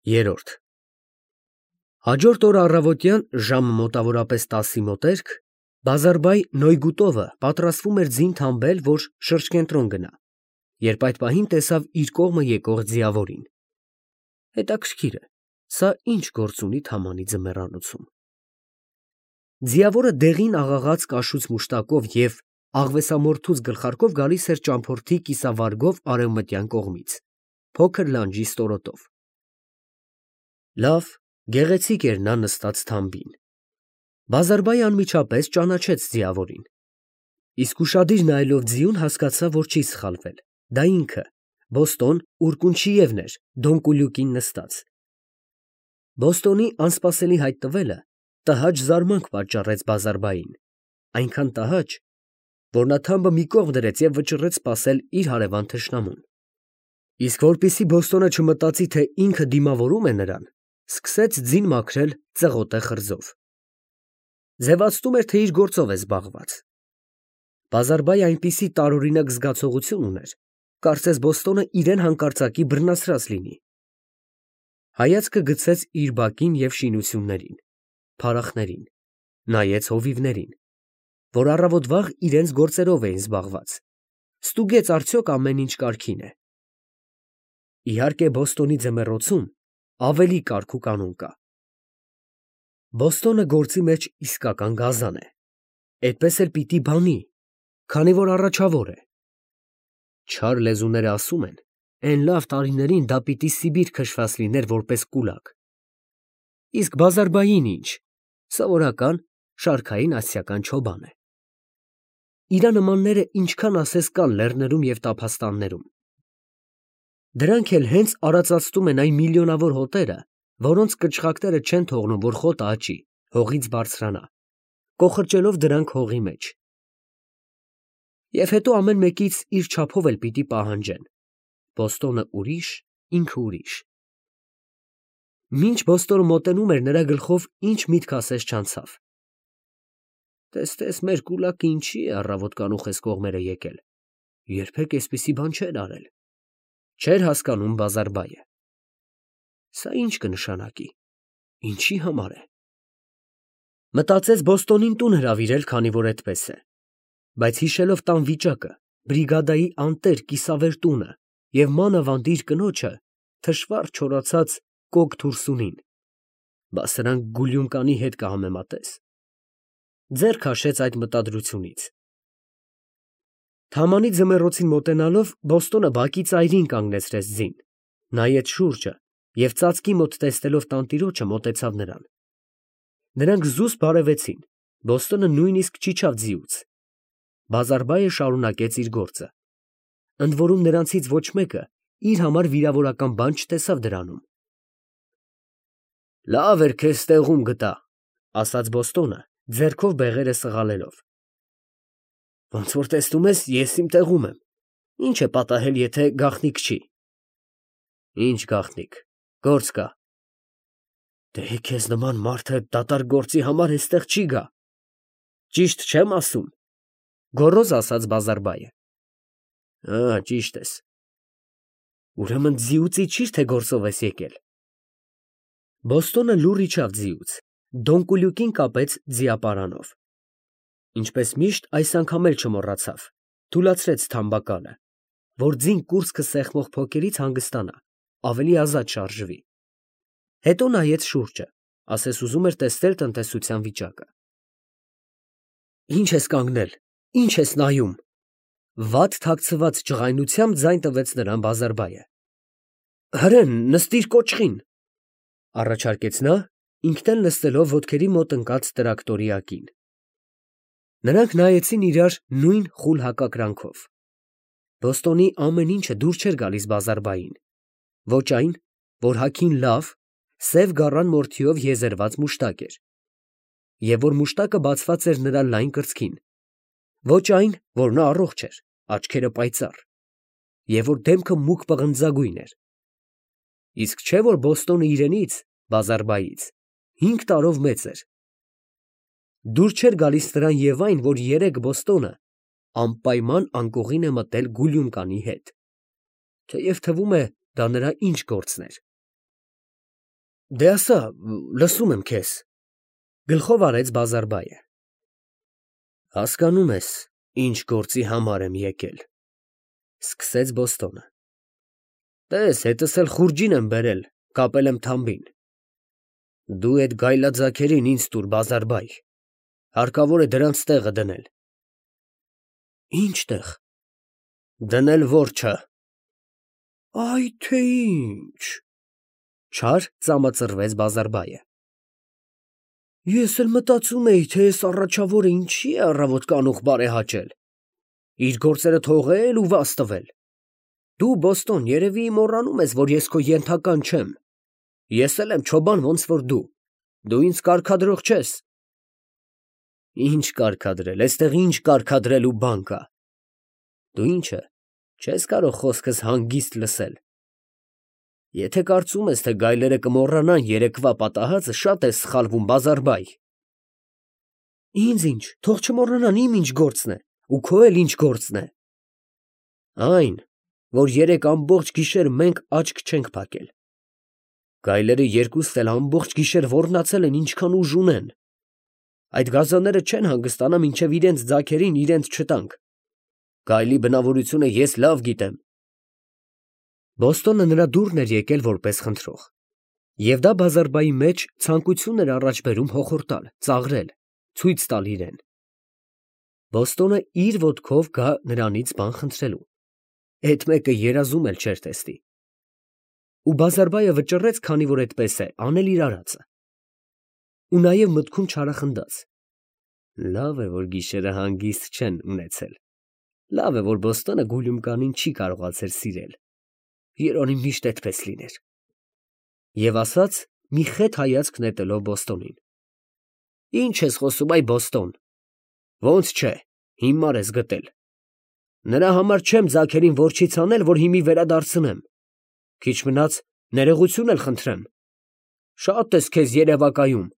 Երորդ Հաջորդ օր առավոտյան ժամը մոտավորապես 10-ի մոտերք Բազարբայ Նոյգուտովը պատրաստվում էր ձին թամբել, որ շրջկենտրոն գնա, երբ այդ պահին տեսավ իր կողմը եկող ձիավորին։ Հետաքրքիր է, սա ինչ գործ ունի Թամանի ձմեռանոցում։ Ձիավորը դեղին աղաղաց կաշուց մուշտակով և աղվեսամորթուց գլխարկով գալիս էր ճամփորդի կիսավարգով արևմտյան կողմից, փոքր լանջի ստորոտով։ Լավ, գեղեցիկ էր նա նստած թամբին։ Բազարբայը անմիջապես ճանաչեց ձիավորին։ Իսկ ուշադիր նայելով ձիուն հասկացավ, որ չի սխալվել. դա ինքը, Բոստոն Ուրկունչիևն էր, դոնկուլյուկին նստած։ Բոստոնի անսպասելի հայտնվելը տհաճ զարմանք պատճառեց Բազարբային, այնքան տհաճ, որ նա թամբը մի կողմ դրեց և վճռեց սպասել իր հարևան թշնամուն։ Իսկ որպեսզի Բոստոնը չմտածի, թե ինքը դիմավորում է նրան, սկսեց ձին մաքրել ծղոտե խրձով։ Ձևացնում էր, թե իր գործով է զբաղված։ Բազարբայը այնպիսի տարօրինակ զգացողություն ուներ, կարծես Բոստոնը իրան հանկարծակի բռնացրած լինի։ Հայացքը գցեց իր բակին և շինություններին, փարախներին, նայեց հովիվներին, որ առավոտ վաղ իրենց գործերով էին զբաղված, ստուգեց արդյոք ամեն ինչ կարգին է։ Իհարկե, Բոստոնի ձմեռոցում ավելի կարգ ու կանոն կա։ Բոստոնը գործի մեջ իսկական գազան է, այդպես էլ պիտի բանի, քանի որ առաջավոր է։ Չար լեզուները ասում են, էն լավ տարիներին դա պիտի Սիբիր քշված լիներ որպես կուլակ։ Իսկ Բազարբային ինչ, սովորական շարքային ասիական չոբան է։ Իրա նմանները ինչքան ասես կան լեռներում և տափաստաններում։ Դրանք էլ հենց արածացնում են այն միլիոնավոր հոտերը, որոնց կչխակները չեն թողնում, որ խոտը աճի, հողից բարձրանա, կոխրճելով դրանք հողի մեջ։ Եվ հետո ամեն մեկից իր չափով էլ պիտի պահանջեն. Բոստոնը ուրիշ, ինքը ուրիշ։ Մինչ Բոստոնը մոտենում էր, նրա գլխով ինչ միտք ասես չանցավ։ Տես մեր կուլակը ինչի է առավոտ կանուխես կողմերը եկել, երբեք էսպիսի բան չէր արել։ Չէր հասկանում Բազարբայը։ Սա ինչ կնշանակի, ինչի համար է։ Մտածեց Բոստոնին տուն հրավիրել, քանի որ այդպես է, բայց հիշելով տան վիճակը, բրիգադայի անտեր կիսավեր տունը և մանավանդ իր կնոջը, թշվառ չորացած կոկ թուրսունին, բա սրանք Գուլյունկանի հետ կհամեմատես։ Ձեռ քաշեց այդ մտադրությունից։ Թամանի ձմեռոցին մոտենալով Բոստոնը բակի ծայրին կանգնեցրեց ձին, նայեց շուրջը և ծածկի մոտ տեսնելով տանտիրոջը մոտեցավ նրան։ Նրանք զուսպ բարևեցին, Բոստոնը նույնիսկ չիջավ ձիուց։ Բազարբայը շարունակեց իր գործը։ Ընդ որում նրանցից ոչ մեկը իր համար վիրավորական բան չտեսավ դրանում։ Լավ էր քեզ տեղում գտա, ասաց Բոստոնը, ձեռքով բեղերը սղալելով։ Ոնց որ տեսնում ես, ես իմ տեղում եմ։ Ինչ է պատահել, եթե գաղտնիք չի։ Ինչ գաղտնիք, գործ կա։ Դե քեզ նման մարդը դատարկ գործի համար էստեղ չի գա։ Ճիշտ չեմ ասում, գոռոզ ասաց Բազարբայը։ Ճիշտ ես։ Ուրեմն ձիուց իջիր, թե գործով ես եկել։ Բոստոնը լուռ իջավ ձիուց, դոնկուլյուկին կապեց ձիապարանով։ Ինչպես միշտ այս անգամ էլ չմոռացավ, թուլացրեց թամբակալը, որ ձին կուրծքը սեղմող փոկերից հանգստանա, ավելի ազատ շարժվի։ Հետո նայեց շուրջը, ասես ուզում էր տեսնել տնտեսության վիճակը։ Ինչ ես կանգնել, ինչ ես նայում։ Վատ թաքցված ջղայնությամբ ձայն տվեց նրան Բազարբայը։ Հրեն, նստիր կոճղին, առաջարկեց նա, ինքն էլ նստելով ոտքերի մոտ ընկած տրակտորի ակին։ Նրանք նայեցին իրար նույն խուլ հակակրանքով։ Բոստոնի ամեն ինչը դուր չէր գալիս Բազարբային, ոչ այն, որ հագին լավ, սև գառան մորթիով եզերված մուշտակ էր, և որ մուշտակը բացված էր նրա լայն կրծքին, ոչ այն, որ նա առողջ էր, աչքերը պայծառ, և որ դեմքը մուգ պղնձագույն էր։ Իսկ չէ՞ որ Բոստոնը իրենից, Բազարբայից, 5 տարով մեծ էր։ Դուր չէր գալիս նրան և այն, որ երեկ Բոստոնը անպայման անկողին է մտել Գուլյունկանի հետ, թեև թվում է դա նրա ինչ գործն էր։ Դե ասա, լսում եմ քեզ։ Գլխով արեց Բազարբայը։ Հասկանում ես, ինչ գործի համար եմ եկել։ Սկսեց Բոստոնը։ Տես, հետս էլ խուրջին եմ բերել, կապել եմ թամբին։ Դու այդ գայլաձագերին ինձ տուր, Բազարբայ։ Հարկավոր է դրանց տեղը դնել։ Ինչ տեղ։ Դնել որջը։ Այ թե ինչ։ Չար ծամածրվեց Բազարբայը։ Ես էլ մտածում էի, թե այս առաջավորը ինչի է առավոտ կանուխ բարեհաճել։ Իր գործերը թողել ու վաս տվել։ Դու, Բոստոն, երևի մոռանում ես, որ ես քո ենթական չեմ։ Ես էլ եմ չոբան ոնց որ դու։ Դու ինձ կարգադրող չես։ Ինչ կարգադրել, այստեղ ինչ կարգադրելու բան կա։ Դու ինչը, չես կարող խոսքս հանգիստ լսել։ Եթե կարծում ես, թե գայլերը կմոռանան երեկվա պատահածը, շատ ես սխալվում, Բազարբայ։ Ինձ ինչ, թող չմոռանան, իմ ինչ գործն է, ու քո էլ ինչ գործն է։ Այն, որ երեք ամբողջ գիշեր մենք աչք չենք փակել։ Գայլերը երկուստ էլ ամբողջ գիշեր ոռնացել են, ինչքան ուժ ունեն։ Այդ գազանները չեն հանգստանա, մինչև իրենց ձագերին իրենց չտանք։ Գայլի բնավորությունը ես լավ գիտեմ։ Բոստոնը նրա դուրն էր եկել որպես խնդրող։ Եվ դա Բազարբայի մեջ ցանկություն էր առաջ բերում հոխորտալ, ծաղրել, ցույց տալ իրեն։ Բոստոնը իր ոտքով գա նրանից բան խնդրելու։ Այդ մեկը երազում էլ չէր տեսնի։ Ու Բազարբայը վճռեց, քանի որ այդպես է, անել իր արածը։ Ու նաև մտքում չարախնդաց։ Լավ է, որ գիշերը հանգիստ չեն ունեցել։ Լավ է, որ Բոստոնը Գուլյումկանին չի կարողացել սիրել։ Երանի միշտ այդպես լիներ։ Եվ ասաց, մի խետ հայացք նետելով Բոստոնին։ Ինչ ես խոսում, այ Բոստոն։ Ոնց չէ, հիմար ես գտել։ Նրա համար չեմ ձագերին որջից անել, որ հիմի վերադարձնեմ։ Քիչ մնաց ներողություն էլ խնդրեմ։ Շատ ես քեզ երևակայում։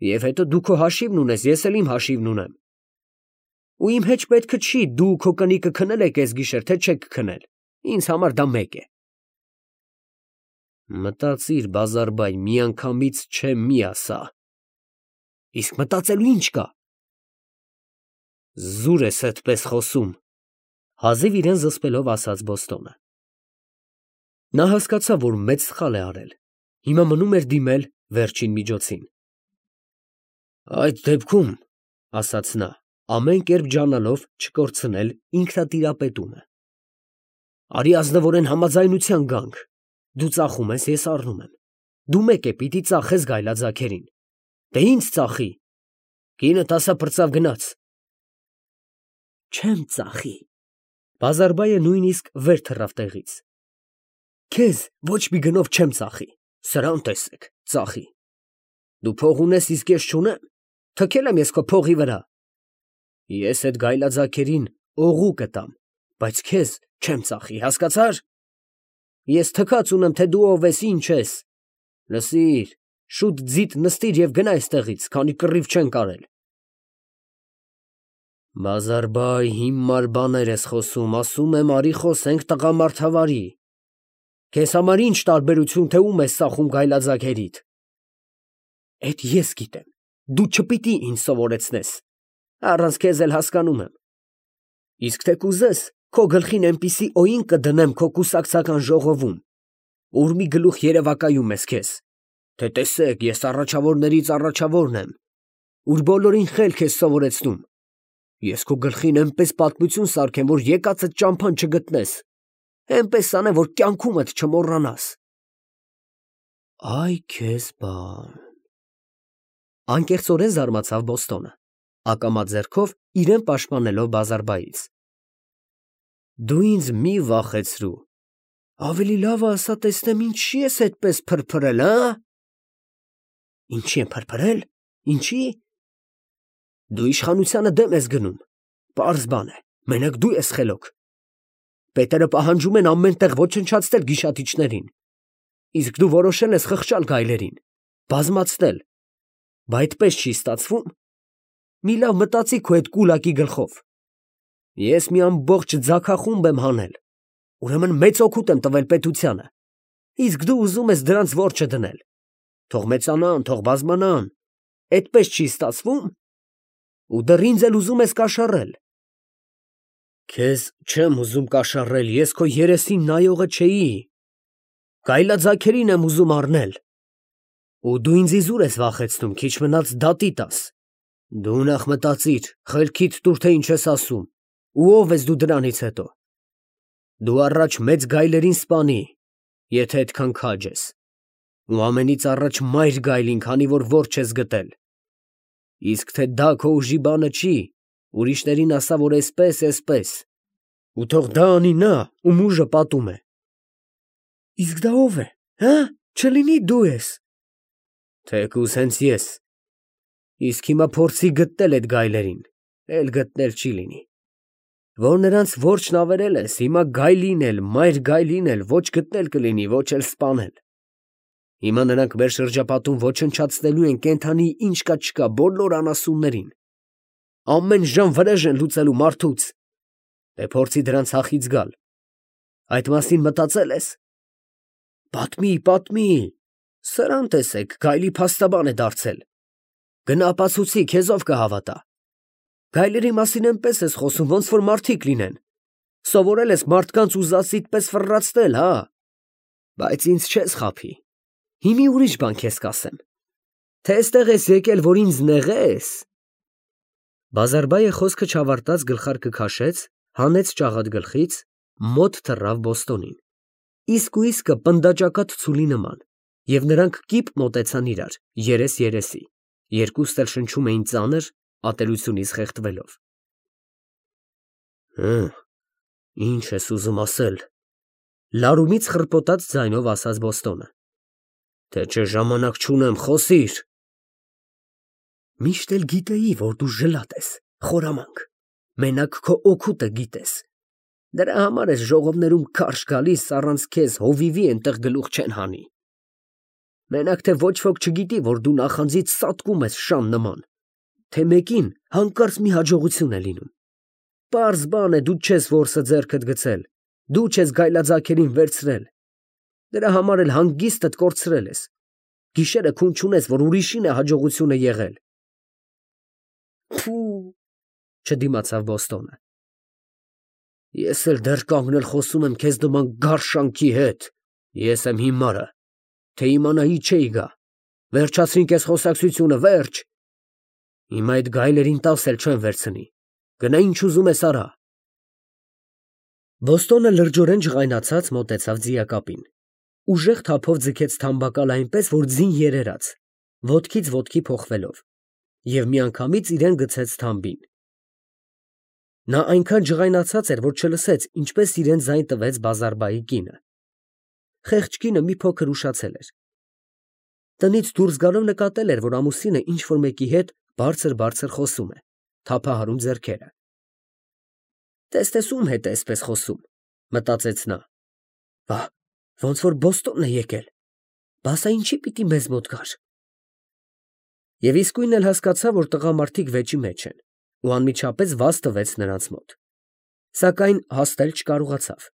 Եվ հետո դու քո հաշիվն ունես, ես էլ իմ հաշիվն ունեմ։ Ու իմ հետ պետք չի դու քո կնիկը քնել եք այս գիշեր, թե չեք քնել։ Ինձ համար դա մեկ է։ Մտածիր, Բազարբայ, միանգամից չէ մի ասա։ Իսկ մտածելու ինչ կա։ Զուր ես այդպես խոսում, հազիվ իրեն զսպելով ասաց Բոստոնը։ Նա հասկացավ, որ մեծ սխալ է արել։ Հիմա մնում էր դիմել վերջին միջոցին։ Այդ դեպքում, ասաց նա, ամեն կերպ ջանալով չկորցնել ինքնատիրապետումը։ Արի ազնվորեն համաձայնության գանք։ Դու ծախում ես, ես առնում եմ։ Դու մեկ է պիտի ծախես գայլաձագերին։ Դե ինձ ծախի։ Կինդ ասա պրծավ գնաց։ Չեմ ծախի։ Բազարբայը նույնիսկ վեր թռավ տեղից։ Քեզ ոչ մի գնով չեմ ծախի։ Սրան տեսեք, ծախի։ Դու փող ունես, իսկ ես չունեմ։ Թքել եմ ես քո փողի վրա։ Ես այդ գայլաձագերին օղու կտամ, բայց քեզ չեմ ծախի, հասկացար։ Ես թքած ունեմ, թե դու ով ես, ինչ ես։ Լսիր, շուտ ձիթ նստիր եւ գնա այստեղից, քանի կռիվ չեն կարել։ Բազարբայ, հիմար բաներ ես խոսում, ասում եմ, արի խոսենք տղամարդավարի։ Քեզ համար ինչ տարբերություն, թե ում ես ծախում գայլաձագերիդ։ Էդ ես գիտեմ, դու չպիտի ինձ սովորեցնես։ Առանց քեզ էլ հասկանում եմ։ Իսկ թե կուզես, քո գլխին այնպիսի օին կդնեմ քո կուսակցական ժողովում, ուր մի գլուխ երևակայում ես քեզ, թե տեսեք, ես առաջավորներից առաջավորն եմ, ուր բոլորին խելք ես սովորեցնում։ Ես քո գլխին այնպես պատմություն սարքեմ, որ եկածդ ճամփան չգտնես, այնպես անեմ, որ կյանքումդ չմոռանաս։ Այ քեզ բան։ Անկեղծորեն զարմացավ Բոստոնը, ակամա ձեռքով իրեն պաշտպանելով Բազարբայից։ Դու ինձ մի վախեցրու։ Ավելի լավ է ասա տեսնեմ ինչի ես այդպես փրփրել, հա։ Ինչի եմ փրփրել։ Ինչի։ Դու իշխանությանը դեմ ես գնում։ Պարզ բան է, մենակ դու ես խելոք։ Պետերը պահանջում են ամեն տեղ ոչնչացնել գիշատիչներին։ Իսկ դու որոշել ես խղճալ գայլերին, բազմացնել։ Բա այդպես չի ստացվում։ Մի լավ մտածի քո այդ կուլակի գլխով։ Ես մի ամբողջ ձագախումբ եմ հանել։ Ուրեմն մեծ օգուտ եմ տվել պետությանը։ Իսկ դու ուզում ես դրանց որջը դնել։ թող մեծանան, թող բազմանան, այդպես չի ստացվում, ու դեռ ինձ էլ ուզում ես կաշառել։ Քեզ չեմ ուզում կաշառել, ես քո երեսին նայողը չէի, գայլաձագերին եմ ուզում առնել, ու դու ինձ իզուր ես վախեցնում, քիչ մնաց դատի տաս։ Դու նախ մտածիր, խելքիդ տուր, թե ինչ ես ասում, ու ով ես դու դրանից հետո։ Դու առաջ մեծ գայլերին սպանի, եթե այդքան քաջ ես, ու ամենից առաջ մայր գայլին, քանի որ որջ ես գտել։ Իսկ թե դա քո ուժի բանը չի, ուրիշներին ասա, որ էսպես, ու թող դա անի նա, ում ուժը պատում է։ Իսկ դա ով է, հա, չլինի դու ես։ Թեկուզ հենց ես։ Իսկ հիմա փորձի գտնել այդ գայլերին, էլ գտնել չի լինի։ Որ նրանց որջն ավերել ես, հիմա գայլին էլ, մայր գայլին էլ ոչ գտնել կլինի, ոչ էլ սպանել։ Հիմա նրանք մեր շրջապատում ոչնչացնելու են կենդանի ինչ կա չկա բոլոր անասուններին։ Ամեն ժամ վրեժ են լուծելու մարդուց։ Դե փորձի դրանց հախից գալ։ Այդ մասին մտածել ես։ Պատմի, սրան տեսեք, գայլի փաստաբան է դարձել։ Գնա ապացուցի, քեզ ով կհավատա։ Գայլերի մասին այնպես ես խոսում, ոնց որ մարդիկ լինեն։ Սովորել ես մարդկանց ուզածիդ պես ֆռռացնել, հա։ Բայց ինձ չես խաբի։ Հիմի ուրիշ բան քեզ կասեմ։ Թե այստեղ ես եկել, որ ինձ նեղես։ Բազարբայը խոսքը չավարտած գլխարկը քաշեց, հանեց ճաղատ գլխից, մոտ թռավ Բոստոնին։ Իսկը պնդաճակատ ցուլի նման, և նրանք կիպ մոտեցան իրար, երես երեսի, երկուստ էլ շնչում էին ծանր, ատելությունից խեղդվելով։ Ինչ ես ուզում ասել, լարումից խռպոտած ձայնով ասաց Բոստոնը։ Թե չէ ժամանակ չունեմ, խոսիր։ Միշտ էլ գիտեի, որ դու ժլատ ես, խորամանկ, մենակ քո օգուտը գիտես։ Դրա համար ես ժողովներում քարշ գալիս, առանց քեզ հովիվի այնտեղ գլուխ չեն հանի։ Մենակ թե ոչ ոք չգիտի, որ դու նախանձից սատկում ես շան նման, թե մեկին հանկարծ մի հաջողություն է լինում։ Պարզ բան է, դու չես որսը ձեռքդ գցել, դու չես գայլաձագերին վերցրել։ Դրա համար էլ հանգիստդ կորցրել ես։ Գիշերը քուն չունես, որ ուրիշին է հաջողությունը եղել։ Փու, չդիմացավ Բոստոնը։ Ես էլ դեռ կանգնել խոսում եմ քեզ նման գարշանքի հետ։ Ես եմ հիմարը, թե իմանայի չէի գա։ Վերջացրինք այս խոսակցությունը, վերջ։ Հիմա այդ գայլերին տաս էլ չեմ վերցնի։ Գնա ինչ ուզում ես արա։ Բոստոնը լրջորեն ջղայնացած մոտեցավ ձիակապին։ Ուժեղ թափով ձգեց թամբակալ այնպես, որ ձին երերաց, ոտքից ոտքի փոխվելով, և միանգամից իրեն գցեց թամբին։ Նա այնքան ջղայնացած էր, որ չլսեց, ինչպես իրեն ձայն տվեց Բազարբայի կինը։ Խեղճ կինը մի փոքր ուշացել էր։ Տնից դուրս գալով նկատել էր, որ ամուսինը ինչ-որ մեկի հետ բարձր խոսում է, թափահարում ձեռքերը։ Տես ում հետ է այսպես խոսում, մտածեց նա։ Վա, ոնց որ Բոստոնն է եկել։ Բա սա ինչի պիտի մեզ մոտ գար։ Եվ իսկույն էլ հասկացավ, որ տղամարդիկ վեճի մեջ են, ու անմիջապես վազ տվեց նրանց մոտ։ Սակայն հասնել չկարողացավ։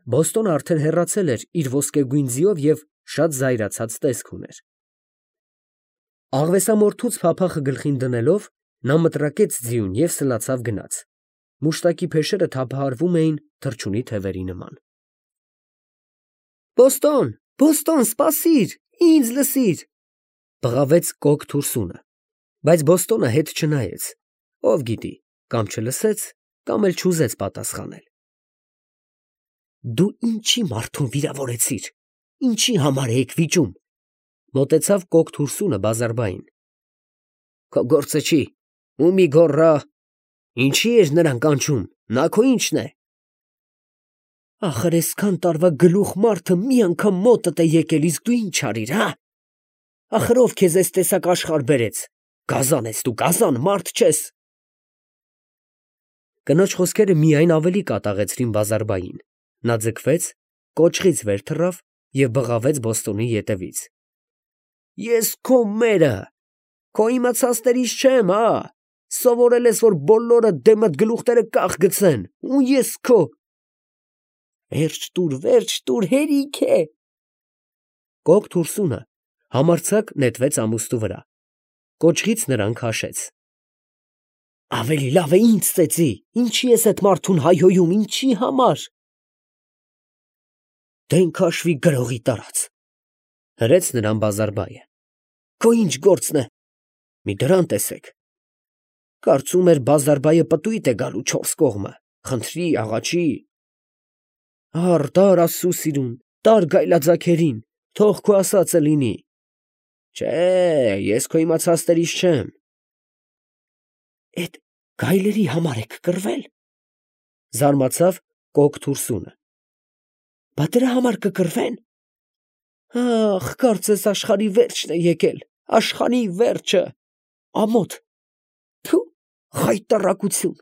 Բոստոնը արդեն հեռացել էր իր ոսկեգույն ձիով և շատ զայրացած տեսք ուներ։ Աղվեսամորթուց փափախը գլխին դնելով, նա մտրակեց ձիուն և սլացավ գնաց։ Մուշտակի փեշերը թափահարվում էին թռչունի թևերի նման։ Բոստոն, սպասիր, ինձ լսիր, բղավեց կոկ թուրսունը, բայց Բոստոնը հետ չնայեց, ով գիտի, կամ չլսեց, կամ էլ չուզեց պատասխանել։ Դու ինչի մարդուն վիրավորեցիր, ինչի համար եք վիճում, մոտեցավ կոկ թուրսունը Բազարբային։ Քո գործը չի, ումի գոռա, ինչի էր նրան կանչում, նա քո ինչն է։ Ախր այսքան տարվա գլուխ մարդը մի անգամ մոտդ է եկել, իսկ դու ինչ արիր, հա։ Ախր ով քեզ այս տեսակ աշխարհ բերեց, գազան ես դու, գազան, մարդ չես։ Կնոջ խոսքերը միայն ավելի կատաղեցրին Բազարբային։ Նա ձգվեց, կոճղից վեր թռավ և բղավեց Բոստոնի ետևից։ Ես քո մերը, քո իմացածներից չեմ, հա։ Սովորել ես, որ բոլորը դեմդ գլուխները կախ գցեն, ու ես քո։ Վերջ տուր, հերիք է։ Կոկ թուրսունը Համարձակ նետվեց ամուստու վրա։ Կոճղից նրան քաշեց։ Ավելի լավ է ինձ ծեծի, ինչի ես այդ մարդուն հայհոյում, ինչի համար։ Դեն քաշվի գրողի տարած, հրեց նրան բազարբայը։ Քո ինչ գործն է։ Մի դրան տեսեք։ Կարծում էր բազարբայը պտույտ է գալու չորս կողմը, խնդրի, աղաչի։ Տար Աստծու սիրուն, տար գայլաձագերին, թող քո ասածը լինի։ Չէ, ես քո իմացածներից չեմ։ Էդ գայլերի համար եք կռվել։ Զարմացավ կոկ թուրսունը։ Բա դրա համար կկռվեն։ Ախ, կարծես աշխարհի վերջն է եկել, աշխարհի վերջը, ամոթ։ Թու, խայտառակություն։